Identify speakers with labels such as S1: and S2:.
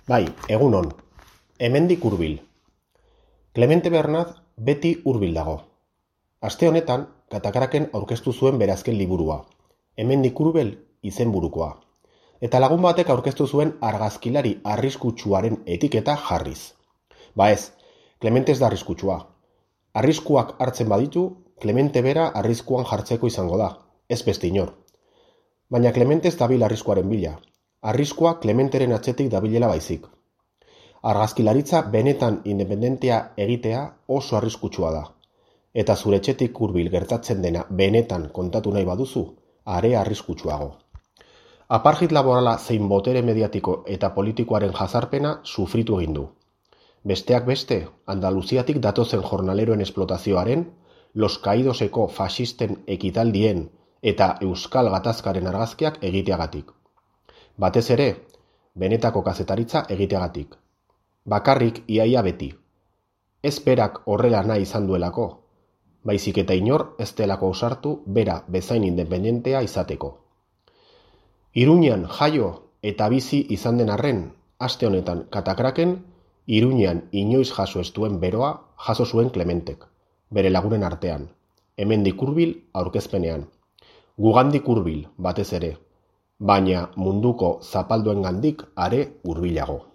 S1: Bai, egunon, hemendik hurbil. Clemente Bernat beti hurbil dago. Aste honetan, Katakraken aurkeztu zuen bere azken liburua, hemendik hurbil izenburukoa. Eta lagun batek aurkeztu zuen argazkilari arriskutsuaren etiketa jarriz. Ba ez, Clemente ez da arriskutsua. Arriskuak hartzen baditu, Clemente bera arriskuan jartzeko izango da, ez beste inor. Baina Clemente ez dabil arriskuaren bila. Arriskua Clementeren atzetik dabilela baizik. Argazkilaritza benetan independentea egitea oso arriskutsua da. Eta zure etxetik hurbil gertatzen dena benetan kontatu nahi baduzu, are arriskutsuago. Apartheid laborala zein botere mediatiko eta politikoaren jazarpena sufritu egin du. Besteak beste, Andaluziatik datozen jornaleroen esplotazioaren, Los Caidoseko faxisten ekitaldien eta Euskal Gatazkaren argazkiak egiteagatik. Batez ere, benetako kazetaritza egiteagatik. Bakarrik iaia beti. Ez berak horrela nahi izan duelako, baizik eta inor ez delako ausartu bera bezain independentea izateko. Iruñan jaio eta bizi izan den arren, aste honetan Katakraken, Iruñan inoiz jaso ez duen beroa jaso zuen Clementek, bere lagunen artean, hemendik hurbil aurkezpenean. Gugandik hurbil batez ere, baina munduko zapalduengandik are hurbilago.